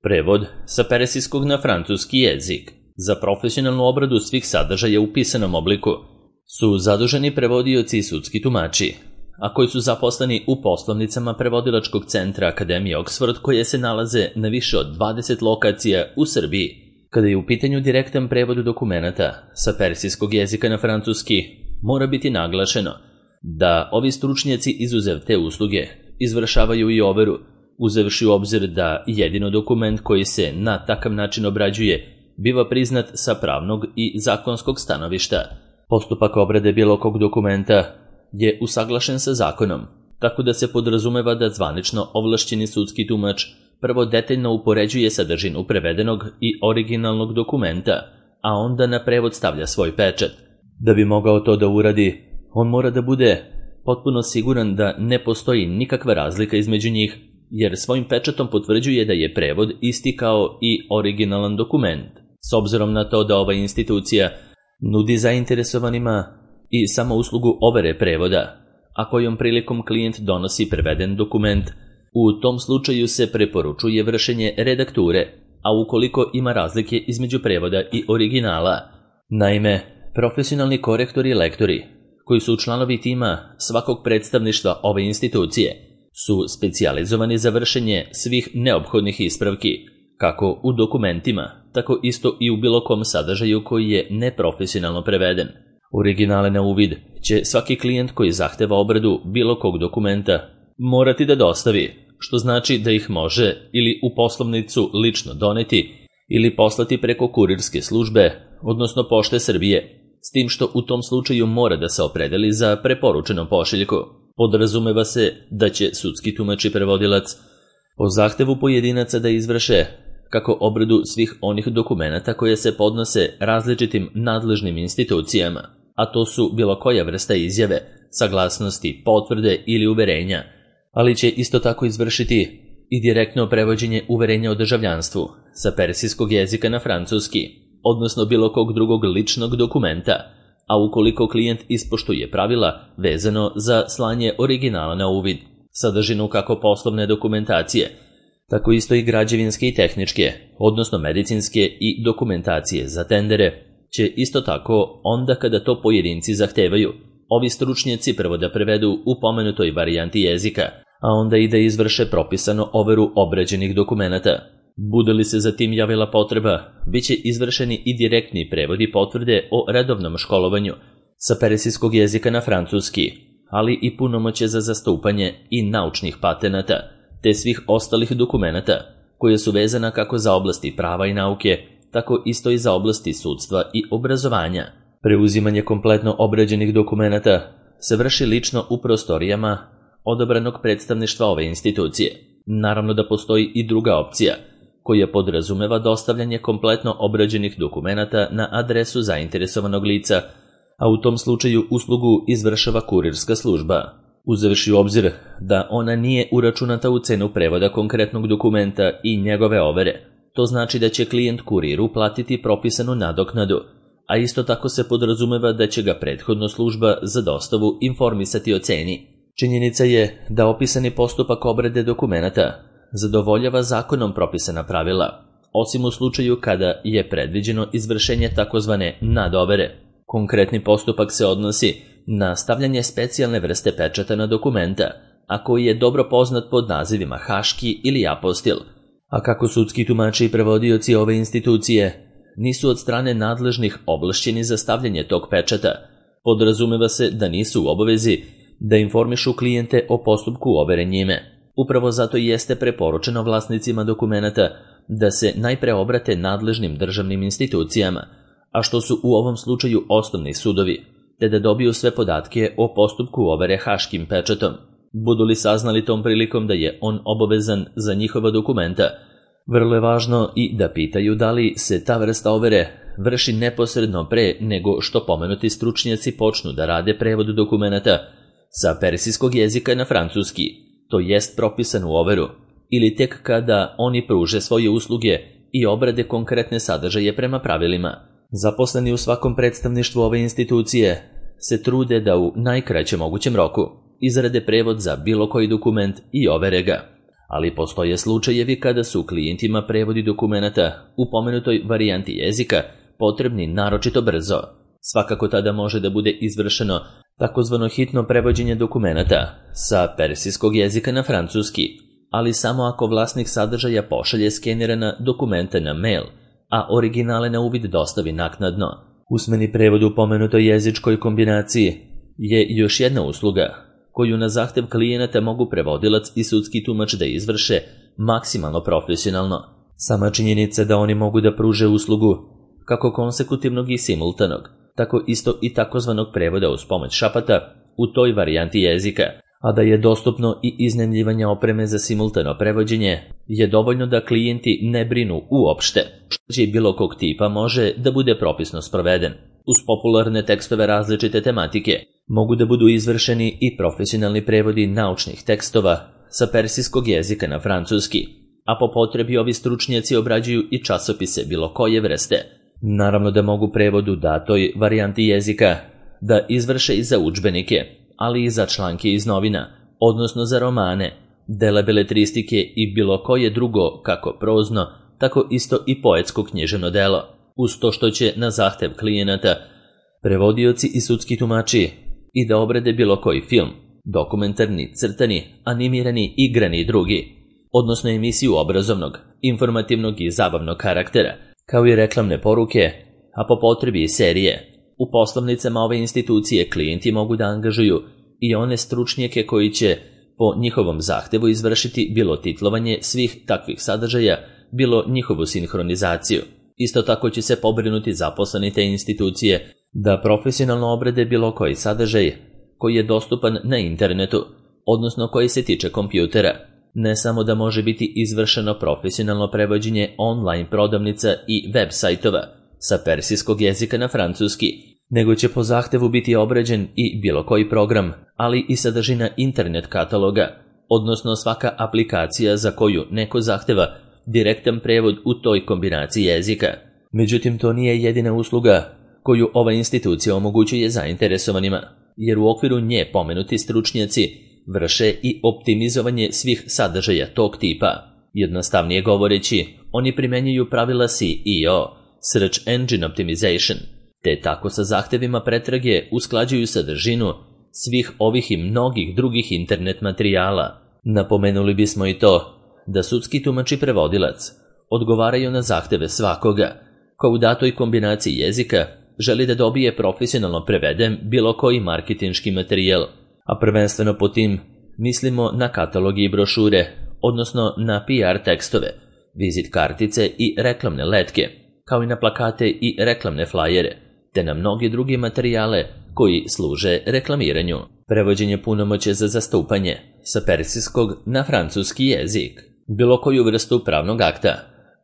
Prevod sa persijskog na francuski jezik za profesionalnu obradu svih sadržaja u pisanom obliku su zaduženi prevodioci i sudski tumači, a koji su zaposleni u poslovnicama prevodilačkog centra Akademije Oxford, koje se nalaze na više od 20 lokacija u Srbiji. Kada je u pitanju direktan prevod dokumenata sa persijskog jezika na francuski, mora biti naglašeno da ovi stručnjaci izuzev te usluge izvršavaju i overu, uzevši u obzir da jedino dokument koji se na takav način obrađuje biva priznat sa pravnog i zakonskog stanovišta. Postupak obrade bilo kog dokumenta je usaglašen sa zakonom, tako da se podrazumeva da zvanično ovlašćeni sudski tumač prvo detaljno upoređuje sadržinu prevedenog i originalnog dokumenta, a onda na prevod stavlja svoj pečat. Da bi mogao to da uradi, on mora da bude potpuno siguran da ne postoji nikakva razlika između njih, jer svojim pečatom potvrđuje da je prevod isti kao i originalan dokument, s obzirom na to da ova institucija nudi zainteresovanima i samo uslugu overe prevoda, a kojom prilikom klijent donosi preveden dokument. U tom slučaju se preporučuje vršenje redakture, a ukoliko ima razlike između prevoda i originala. Naime, profesionalni korektori i lektori, koji su članovi tima svakog predstavništva ove institucije, su specijalizovani za vršenje svih neophodnih ispravki, kako u dokumentima, tako isto i u bilo kom sadržaju koji je neprofesionalno preveden. Originale na uvid će svaki klijent koji zahteva obradu bilo kog dokumenta morati da dostavi, što znači da ih može ili u poslovnicu lično doneti ili poslati preko kurirske službe, odnosno Pošte Srbije, s tim što u tom slučaju mora da se opredeli za preporučenu pošiljku. Podrazumeva se da će sudski tumač i prevodilac po zahtevu pojedinaca da izvrše kako obradu svih onih dokumenata koje se podnose različitim nadležnim institucijama, a to su bilo koja vrsta izjave, saglasnosti, potvrde ili uverenja, ali će isto tako izvršiti i direktno prevođenje uverenja o državljanstvu sa persijskog jezika na francuski, odnosno bilo kog drugog ličnog dokumenta, a ukoliko klijent ispoštuje pravila vezano za slanje originala na uvid, sadržinu kako poslovne dokumentacije, tako isto i građevinske i tehničke, odnosno medicinske i dokumentacije za tendere, će isto tako, onda kada to pojedinci zahtevaju, ovi stručnjaci prvo da prevedu u pomenutoj varijanti jezika, a onda i da izvrše propisano overu obrađenih dokumenata. Bude li se za tim javila potreba, bit će izvršeni i direktni prevodi potvrde o redovnom školovanju sa persijskog jezika na francuski, ali i punomoćje za zastupanje i naučnih patenata, te svih ostalih dokumenata, koje su vezana kako za oblasti prava i nauke, tako isto i za oblasti sudstva i obrazovanja. Preuzimanje kompletno obrađenih dokumenata se vrši lično u prostorijama odabranog predstavništva ove institucije. Naravno da postoji i druga opcija, koja podrazumeva dostavljanje kompletno obrađenih dokumenata na adresu zainteresovanog lica, a u tom slučaju uslugu izvršava kurirska služba, uzevši u obzir da ona nije uračunata u cenu prevoda konkretnog dokumenta i njegove overe. To znači da će klijent kuriru platiti propisanu nadoknadu, a isto tako se podrazumeva da će ga prethodno služba za dostavu informisati o ceni. Činjenica je da opisani postupak obrade dokumenata zadovoljava zakonom propisana pravila, osim u slučaju kada je predviđeno izvršenje takozvane nadovere. Konkretni postupak se odnosi na stavljanje specijalne vrste pečata na dokumenta, a koji je dobro poznat pod nazivima haški ili apostil, a kako sudski tumači i prevodioci ove institucije nisu od strane nadležnih ovlašćeni za stavljanje tog pečata, podrazumeva se da nisu u obavezi da informišu klijente o postupku overe njime. Upravo zato i jeste preporučeno vlasnicima dokumenata da se najpre obrate nadležnim državnim institucijama, a što su u ovom slučaju osnovni sudovi, te da dobiju sve podatke o postupku overe haškim pečatom. Budu li saznali tom prilikom da je on obavezan za njihova dokumenta, vrlo je važno i da pitaju da li se ta vrsta overe vrši neposredno pre nego što pomenuti stručnjaci počnu da rade prevod dokumenata sa persijskog jezika na francuski, to jest propisanu overu, ili tek kada oni pruže svoje usluge i obrade konkretne sadržaje prema pravilima. Zaposleni u svakom predstavništvu ove institucije se trude da u najkraćem mogućem roku izrade prevod za bilo koji dokument i overe ga. ali postoje slučajevi kada su klijentima prevodi dokumenata u pomenutoj varijanti jezika potrebni naročito brzo. Svakako tada može da bude izvršeno takozvano hitno prevođenje dokumenata sa persijskog jezika na francuski, ali samo ako vlasnik sadržaja pošalje skenirana dokumenta na mail, a originale na uvid dostavi naknadno. Usmeni prevod u pomenutoj jezičkoj kombinaciji je još jedna usluga koju na zahtev klijenata mogu prevodilac i sudski tumač da izvrše maksimalno profesionalno. Sama činjenica da oni mogu da pruže uslugu kako konsekutivnog i simultanog, tako isto i takozvanog prevoda uz pomoć šapata u toj varijanti jezika, a da je dostupno i iznajmljivanje opreme za simultano prevođenje, je dovoljno da klijenti ne brinu uopšte što će bilo kog tipa može da bude propisno sproveden. Uz popularne tekstove različite tematike mogu da budu izvršeni i profesionalni prevodi naučnih tekstova sa persijskog jezika na francuski, a po potrebi ovi stručnjaci obrađuju i časopise bilo koje vrste. Naravno da mogu prevod u datoj varijanti jezika da izvrše i za udžbenike, ali i za članke iz novina, odnosno za romane, dela beletristike i bilo koje drugo, kako prozno, tako isto i poetsko književno delo, uz to što će na zahtev klijenata prevodioci i sudski tumači i da obrade bilo koji film, dokumentarni, crtani, animirani, igrani i drugi, odnosno emisiju obrazovnog, informativnog i zabavnog karaktera, kao i reklamne poruke, a po potrebi i serije. U poslovnicama ove institucije klijenti mogu da angažuju i one stručnjake koji će po njihovom zahtevu izvršiti bilo titlovanje svih takvih sadržaja, bilo njihovu sinhronizaciju. Isto tako će se pobrinuti zaposleni te institucije da profesionalno obrade bilo koji sadržaj koji je dostupan na internetu, odnosno koji se tiče kompjutera. Ne samo da može biti izvršeno profesionalno prevođenje online prodavnica i web sajtova sa persijskog jezika na francuski, nego će po zahtevu biti obrađen i bilo koji program, ali i sadržina internet kataloga, odnosno svaka aplikacija za koju neko zahteva direktan prevod u toj kombinaciji jezika. Međutim, to nije jedina usluga koju ova institucija omogućuje zainteresovanima, jer u okviru nje pomenuti stručnjaci vrše i optimizovanje svih sadržaja tog tipa. Jednostavnije govoreći, oni primenjuju pravila SEO, Search Engine Optimization, te tako sa zahtevima pretrage usklađuju sadržinu svih ovih i mnogih drugih internet materijala. Napomenuli bismo i to da sudski tumač i prevodilac odgovaraju na zahteve svakoga ko u datoj kombinaciji jezika želi da dobije profesionalno preveden bilo koji marketinški materijal, a prvenstveno po tim mislimo na kataloge i brošure, odnosno na PR tekstove, vizit kartice i reklamne letke, kao i na plakate i reklamne flajere, te na mnoge druge materijale koji služe reklamiranju. Prevođenje punomoće za zastupanje sa persijskog na francuski jezik, bilo koju vrstu pravnog akta,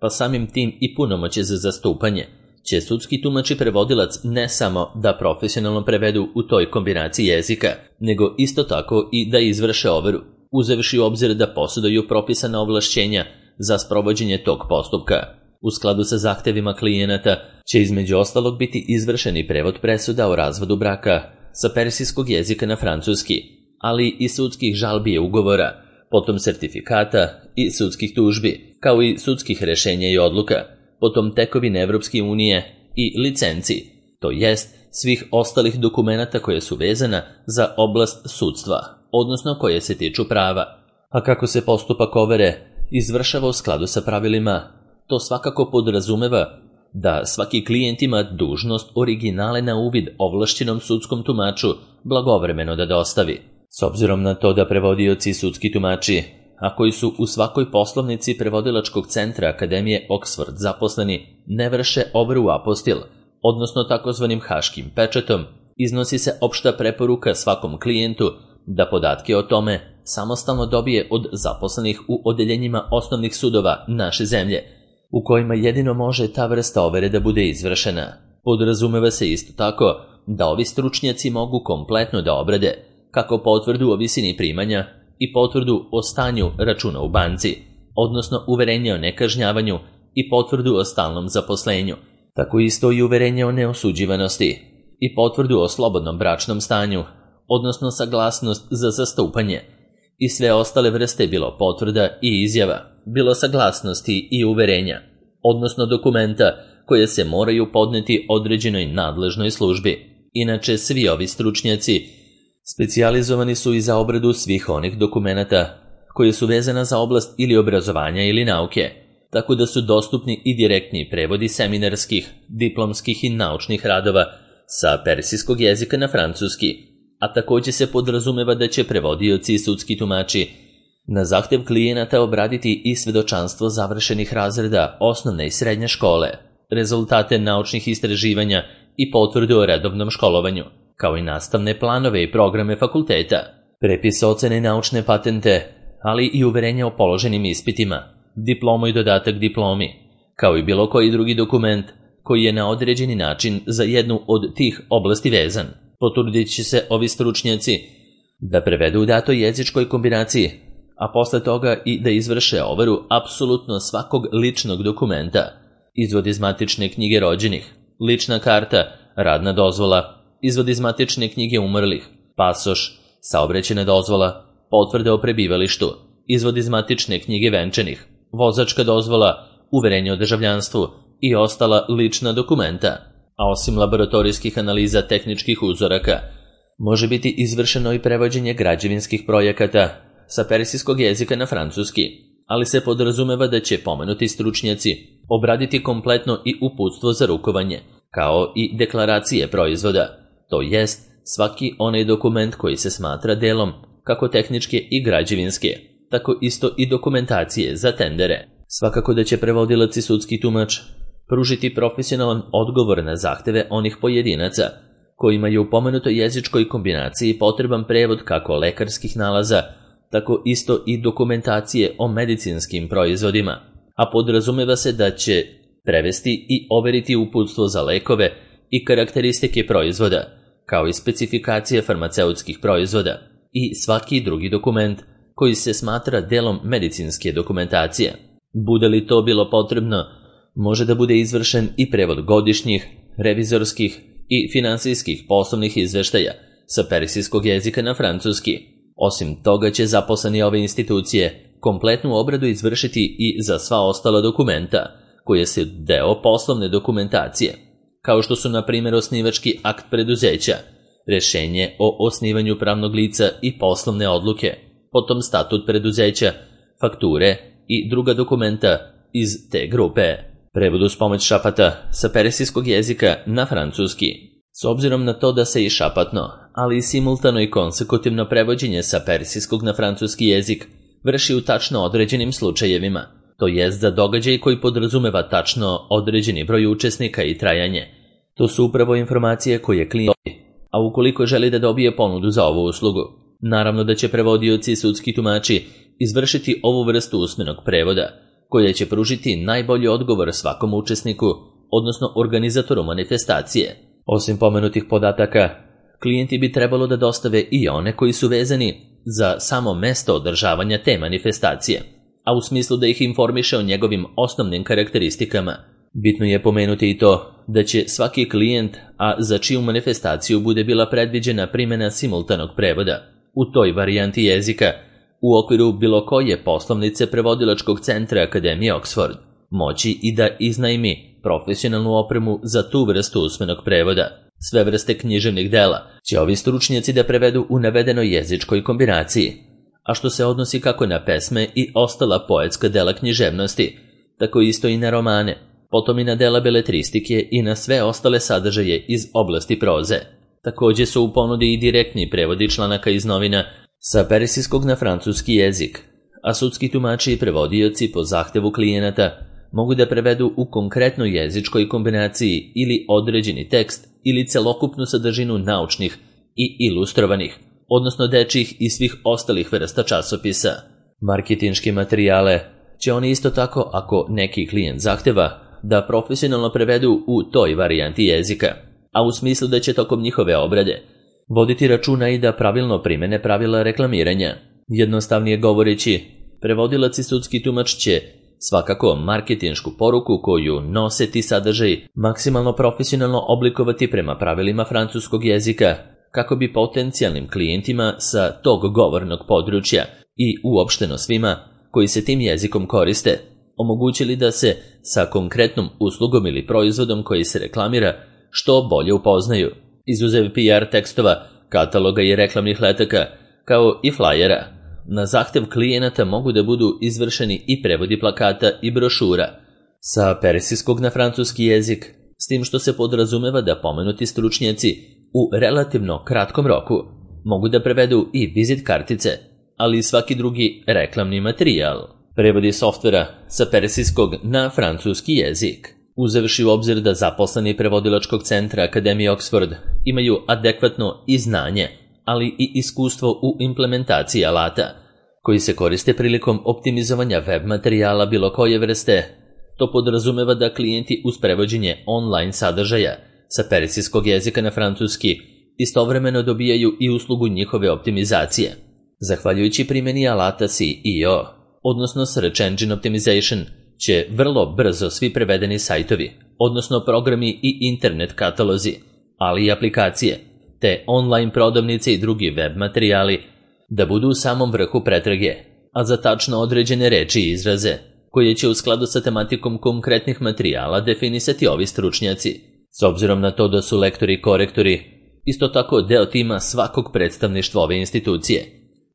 pa samim tim i punomoće za zastupanje, će sudski tumač i prevodilac ne samo da profesionalno prevedu u toj kombinaciji jezika, nego isto tako i da izvrše overu, uzevši u obzir da posjeduju propisana ovlašćenja za sprovođenje tog postupka. U skladu sa zahtevima klijenata će između ostalog biti izvršeni prevod presuda o razvodu braka sa persijskog jezika na francuski, ali i sudskih žalbi i ugovora, potom sertifikata i sudskih tužbi, kao i sudskih rešenja i odluka, potom tekovine Evropske unije i licenci, to jest svih ostalih dokumenata koje su vezana za oblast sudstva, odnosno koje se tiču prava. A kako se postupak overe izvršava u skladu sa pravilima, to svakako podrazumeva da svaki klijent ima dužnost originale na uvid ovlašćenom sudskom tumaču blagovremeno da dostavi. S obzirom na to da prevodioci i sudski tumači, a koji su u svakoj poslovnici prevodilačkog centra Akademije Oxford zaposleni, ne vrše overu apostil, odnosno takozvanim haškim pečetom, iznosi se opšta preporuka svakom klijentu da podatke o tome samostalno dobije od zaposlenih u odeljenjima osnovnih sudova naše zemlje, u kojima jedino može ta vrsta overe da bude izvršena. Podrazumeva se isto tako da ovi stručnjaci mogu kompletno da obrade kako potvrdu o visini primanja i potvrdu o stanju računa u banci, odnosno uverenje o nekažnjavanju i potvrdu o stalnom zaposlenju, tako isto i uverenje o neosuđivanosti i potvrdu o slobodnom bračnom stanju, odnosno saglasnost za zastupanje i sve ostale vrste bilo potvrda i izjava, bilo saglasnosti i uverenja, odnosno dokumenta koje se moraju podneti određenoj nadležnoj službi. Inače, svi ovi stručnjaci specijalizovani su i za obradu svih onih dokumenata koje su vezana za oblast ili obrazovanja ili nauke, tako da su dostupni i direktni prevodi seminarskih, diplomskih i naučnih radova sa persijskog jezika na francuski, a također se podrazumeva da će prevodioci i sudski tumači na zahtev klijenata obraditi i svedočanstvo završenih razreda osnovne i srednje škole, rezultate naučnih istraživanja i potvrdu o redovnom školovanju, kao i nastavne planove i programe fakulteta, prepis ocene naučne patente, ali i uverenja o položenim ispitima, diplomu i dodatak diplomi, kao i bilo koji drugi dokument koji je na određeni način za jednu od tih oblasti vezan. Potrudit će se ovi stručnjaci da prevedu u datoj jezičkoj kombinaciji, a posle toga i da izvrše overu apsolutno svakog ličnog dokumenta, izvod iz matične knjige rođenih, lična karta, radna dozvola, izvod iz matične knjige umrlih, pasoš, saobraćajna dozvola, potvrda o prebivalištu, izvod iz matične knjige venčanih, vozačka dozvola, uverenje o državljanstvu i ostala lična dokumenta, a osim laboratorijskih analiza tehničkih uzoraka, može biti izvršeno i prevođenje građevinskih projekata sa persijskog jezika na francuski, ali se podrazumeva da će pomenuti stručnjaci obraditi kompletno i uputstvo za rukovanje, kao i deklaracije proizvoda, to jest svaki onaj dokument koji se smatra delom kako tehničke i građevinske, tako isto i dokumentacije za tendere. Svakako da će prevodilac i sudski tumač pružiti profesionalan odgovor na zahteve onih pojedinaca kojima je u pomenutoj jezičkoj kombinaciji potreban prevod kako lekarskih nalaza, tako isto i dokumentacije o medicinskim proizvodima, a podrazumeva se da će prevesti i overiti uputstvo za lekove i karakteristike proizvoda, kao i specifikacije farmaceutskih proizvoda i svaki drugi dokument koji se smatra delom medicinske dokumentacije. Bude li to bilo potrebno, može da bude izvršen i prevod godišnjih, revizorskih i finansijskih poslovnih izveštaja sa persijskog jezika na francuski. Osim toga će zaposleni ove institucije kompletnu obradu izvršiti i za sva ostala dokumenta koje su deo poslovne dokumentacije, kao što su na primjer osnivački akt preduzeća, rešenje o osnivanju pravnog lica i poslovne odluke, potom statut preduzeća, fakture i druga dokumenta iz te grupe. Prevod uz pomoć šapata sa persijskog jezika na francuski. S obzirom na to da se i šapatno, ali i simultano i konsekutivno prevođenje sa persijskog na francuski jezik vrši u tačno određenim slučajevima, to jest za događaj koji podrazumeva tačno određeni broj učesnika i trajanje. To su upravo informacije koje klijent dobije, a ukoliko želi da dobije ponudu za ovu uslugu, naravno da će prevodioci i sudski tumači izvršiti ovu vrstu usmenog prevoda, koja će pružiti najbolji odgovor svakom učesniku, odnosno organizatoru manifestacije. Osim pomenutih podataka, klijenti bi trebalo da dostave i one koji su vezani za samo mesto održavanja te manifestacije, a u smislu da ih informiše o njegovim osnovnim karakteristikama. Bitno je pomenuti i to da će svaki klijent, a za čiju manifestaciju bude bila predviđena primjena simultanog prevoda, u toj varijanti jezika, u okviru bilo koje poslovnice prevodilačkog centra Akademije Oxford, moći i da iznajmi profesionalnu opremu za tu vrstu usmenog prevoda. Sve vrste književnih dela će ovi stručnjaci da prevedu u navedenoj jezičkoj kombinaciji, a što se odnosi kako na pesme i ostala poetska dela književnosti, tako isto i na romane, potom i na dela beletristike i na sve ostale sadržaje iz oblasti proze. Također su u ponudi i direktni prevodi članaka iz novina sa persijskog na francuski jezik, a sudski tumači i prevodioci po zahtevu klijenata mogu da prevedu u konkretnoj jezičkoj kombinaciji ili određeni tekst ili celokupnu sadržinu naučnih i ilustrovanih, odnosno dečjih i svih ostalih vrsta časopisa. Marketinške materijale će oni isto tako, ako neki klijent zahteva, da profesionalno prevedu u toj varijanti jezika, a u smislu da će tokom njihove obrade voditi računa i da pravilno primene pravila reklamiranja. Jednostavnije govoreći, prevodilac i sudski tumač će svakako marketinšku poruku koju nose ti sadržaj maksimalno profesionalno oblikovati prema pravilima francuskog jezika, kako bi potencijalnim klijentima sa tog govornog područja i uopšteno svima koji se tim jezikom koriste omogućili da se sa konkretnom uslugom ili proizvodom koji se reklamira što bolje upoznaju, izuzev PR tekstova, kataloga i reklamnih letaka, kao i flajera. Na zahtev klijenata mogu da budu izvršeni i prevodi plakata i brošura sa persijskog na francuski jezik, s tim što se podrazumeva da pomenuti stručnjaci u relativno kratkom roku mogu da prevedu i vizit kartice, ali i svaki drugi reklamni materijal. Prevodi softvera sa persijskog na francuski jezik, uzevši u obzir da zaposleni prevodilačkog centra Akademije Oxford imaju adekvatno i znanje, ali i iskustvo u implementaciji alata koji se koriste prilikom optimizovanja web materijala bilo koje vrste. To podrazumeva da klijenti uz prevođenje online sadržaja sa persijskog jezika na francuski istovremeno dobijaju i uslugu njihove optimizacije. Zahvaljujući primjeni alata SEO, odnosno Search Engine Optimization, će vrlo brzo svi prevedeni sajtovi, odnosno programi i internet katalozi, ali i aplikacije, te online prodavnice i drugi web materijali da budu u samom vrhu pretrage, a za tačno određene reči i izraze, koje će u skladu sa tematikom konkretnih materijala definisati ovi stručnjaci, s obzirom na to da su lektori i korektori isto tako deo tima svakog predstavništva ove institucije,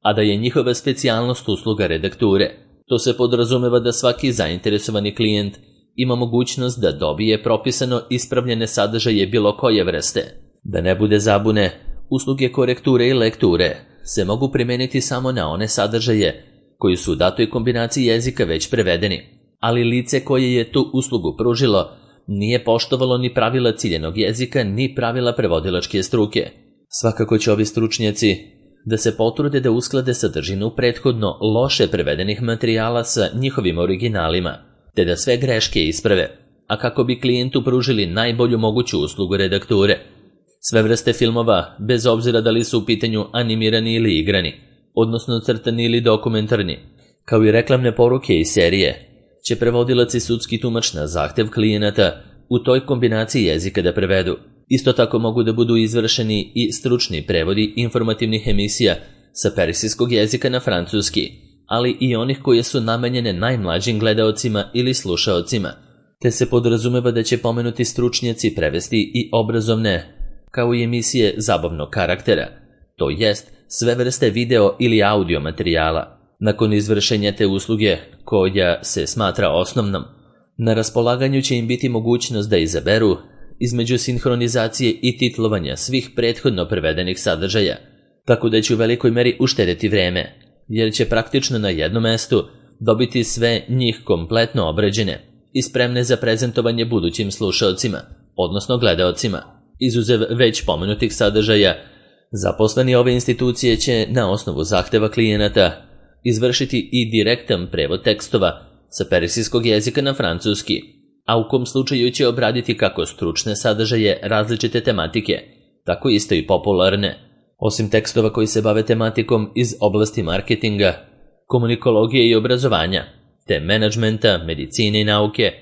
a da je njihova specijalnost usluga redakture. To se podrazumeva da svaki zainteresovani klijent ima mogućnost da dobije propisano ispravljene sadržaje bilo koje vrste. Da ne bude zabune, usluge korekture i lekture se mogu primijeniti samo na one sadržaje koji su u datoj kombinaciji jezika već prevedeni, ali lice koje je tu uslugu pružilo nije poštovalo ni pravila ciljenog jezika ni pravila prevodilačke struke. Svakako će ovi stručnjaci da se potrude da usklade sadržinu prethodno loše prevedenih materijala sa njihovim originalima, te da sve greške isprave, a kako bi klijentu pružili najbolju moguću uslugu redakture. Sve vrste filmova, bez obzira da li su u pitanju animirani ili igrani, odnosno crtani ili dokumentarni, kao i reklamne poruke i serije, će prevodilac i sudski tumač na zahtev klijenata u toj kombinaciji jezika da prevedu. Isto tako mogu da budu izvršeni i stručni prevodi informativnih emisija sa persijskog jezika na francuski, ali i onih koje su namenjene najmlađim gledaocima ili slušaocima, te se podrazumeva da će pomenuti stručnjaci prevesti i obrazovne, kao i emisije zabavnog karaktera, to jest sve vrste video ili audio materijala. Nakon izvršenja te usluge, koja se smatra osnovnom, na raspolaganju će im biti mogućnost da izaberu između sinhronizacije i titlovanja svih prethodno prevedenih sadržaja, tako da će u velikoj meri uštedeti vreme, jer će praktično na jednom mestu dobiti sve njih kompletno obrađene i spremne za prezentovanje budućim slušaocima, odnosno gledaocima. Izuzev već pomenutih sadržaja, zaposleni ove institucije će na osnovu zahteva klijenata izvršiti i direktan prevod tekstova sa persijskog jezika na francuski, a u kom slučaju će obraditi kako stručne sadržaje različite tematike, tako isto i popularne. Osim tekstova koji se bave tematikom iz oblasti marketinga, komunikologije i obrazovanja, te menadžmenta, medicine i nauke,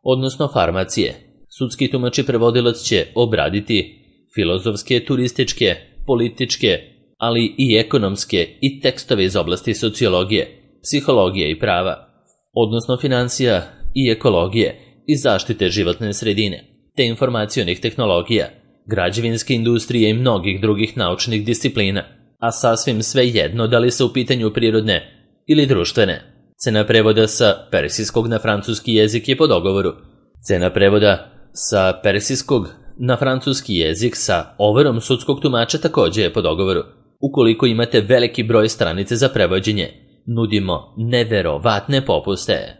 odnosno farmacije, sudski tumač i prevodilac će obraditi filozofske, turističke, političke, ali i ekonomske i tekstove iz oblasti sociologije, psihologije i prava, odnosno financija i ekologije i zaštite životne sredine, te informacionih tehnologija, građevinske industrije i mnogih drugih naučnih disciplina, a sasvim sve jedno da li se u pitanju prirodne ili društvene. Cena prevoda sa persijskog na francuski jezik je po dogovoru. Cena prevoda sa persijskog na francuski jezik sa overom sudskog tumača također je po dogovoru. Ukoliko imate veliki broj stranice za prevođenje, nudimo neverovatne popuste.